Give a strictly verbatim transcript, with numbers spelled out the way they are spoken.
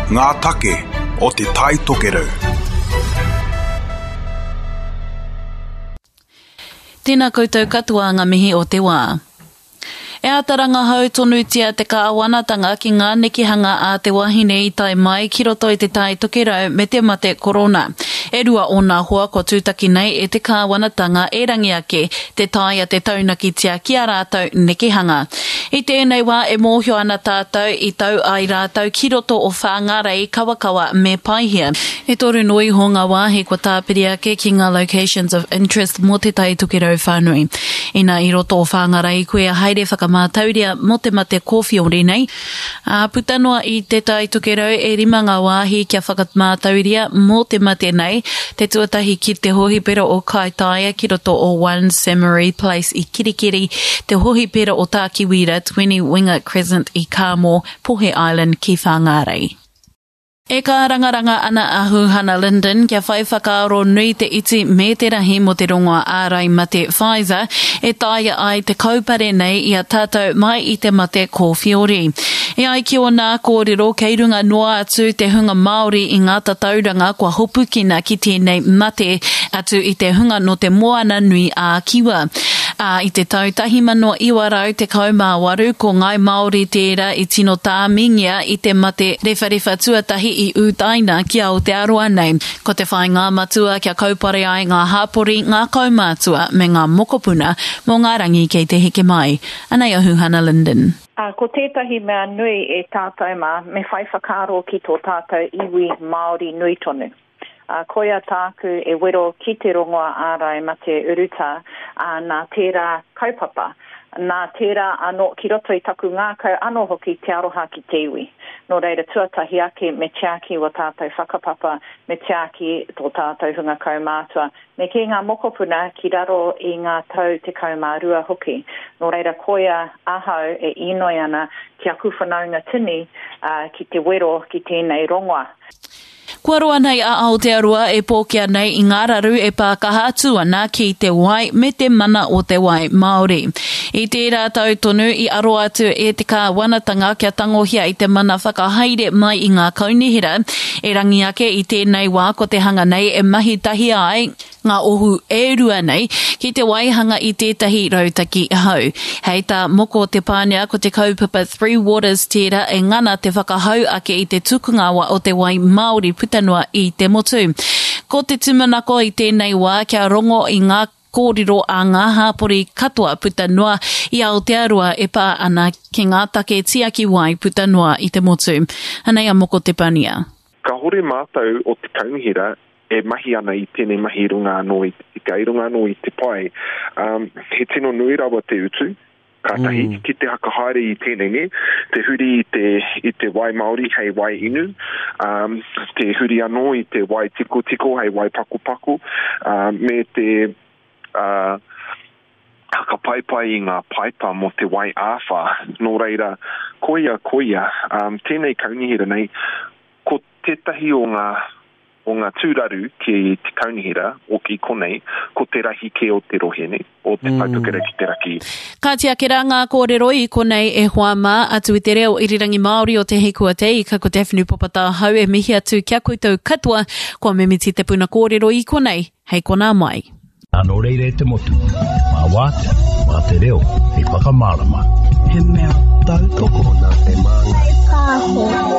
Ngā take o Te Tai Tokerau. Tēnā koutou katoa ngā mihi o te wā. E āta rangahau tonutia te kāwanatanga ki ngā nekehanga a te wahine i tae mai ki roto i te Tai Tokerau me te mate korona. E rua ōna hoa kua tūtaki nei e te kāwanatanga e rangi ake te taea te taunakitia ki a rātou nekehanga. I tēnei wā e mōhio ana tātou i tau ai rātou ki roto o Whāngārei, Kawakawa me Paihia. E toru noa iho ngā wāhi kua tāpiri ake ki ngā locations of interest mō te Tai Tokerau whānui. Ina i roto o Whāngārei koe haere whakamātauria mō te mate kōwhiori nei. Ā, puta noa i te Tai Tokerau e rima ngā wāhi kia whakamātauria mō te mate nei, te tuatahi ki te hohipera o Kaitaia ki roto o One Samurai Place i Kirikiri, te hohipera o Tākiwira twenty Winger Crescent i Kāmō, Pohe Island ki Whāngārei. E kārangaranga ana a Huhana Lyndon kia whai whakaaro nui te iti me te rahi mō te rongoa ārai mate Pfizer e taea ai te kaupare nei i a tātou mai i te mate kōwhiori. E ai ki ōna kōrero kei runga noa atu te hunga Māori i ngā tatauranga kua hopukina ki tēnei mate atu i te hunga nō te Moana Nui ā Kiwa. Ā, i te tau tahi mano iwa rau tekau mā waru ko Ngāi Māori tērā i tino tāmingia i te mate rewharewha tuatahi i ūtaina ki Aotearoa nei. Ko te whāinga matua kia kaupare ai ngā hāpori, ngā kaumātua me ngā mokopuna mō ngā rangi kei te heke mai. Anei a Huhana Lyndon. Uh, ko tētahi mea nui e tātou mā, me whai whakaaro ki tō tātou iwi Māori nui tonu. Uh, koia tāku e wero ki te rongoa ārai mate urutā, uh, nā tērā kaupapa. Nā tērā anō ki roto i taku ngākau anō hoki te aroha ki te iwi. Nō reira tuatahi ake me tiaki wa tātou whakapapa, me tiaki tō tātou hunga kaumātua, me ki ngā mokopuna ki raro i ngā tau tekau mā rua hoki. Nō reira koia ahau e inoi ana ki aku whanaunga tini, uh, ki te wero ki tēnei rongoa. Kua roa nei a Aotearoa e pōkea nei i ngā raru e pākaha atu ana ki te wai me te mana o te wai Māori. I tērā tau tonu i aro atu e te kāwanatanga kia tangohia i te mana whakahaere mai i ngā kaunihera, e rangi ake i tēnei wā ko te hanga nei e mahi tahi ai ngā ohu e rua nei ki te waihanga i tētahi rautaki hau. Hei tā Moko Te Pānea ko te kaupapa Three Waters tērā e ngana te whakahau ake i te tukunga o te wai Māori puta noa i te motu. Ko te tūmanako i tēnei wā kia rongo i ngā kōrero a ngā hāpori katoa puta noa i Aotearoa e pā ana ki ngā take tiaki wai puta noa i te motu. Anei a Moko Te Pānea. Ka hore mātou o te kaunihera e mahi ana i tēnei mahi runga anō i te tika, i runga anō i te pai. Um, he tino nui rawa te utu, kātahi mm. ki te hakahaere i tēnei, ne? Te huri i te, i te wai Māori hei wai inu, um, te huri anō i te wai tikotiko hei wai pakopako, um, me te uh, hakapaipai i ngā paipa mō te wai āwhā. Nō reira, koia, koia, um, tēnei kaunihera nei, ko tētahi o ngā o ngā tūraru ki te kaunihera o ki konei, ko te rahi ke o te rohe nei, o te mm. Tai Tokerau ki te raki. Ka tiake rā ngā kōrero i konei e hoa mā, atu i te reo irirangi Māori o Te Hikua Te Ika, ko Daphne Popatahau e mihi atu kia koutou katoa, kua mimiti te puna kōrero i konei, hei konā mai. Anō reira e te motu, mā wātea, mā te reo, hei whakamārama. He mea tautoko. Tokona te māngai. Pāho.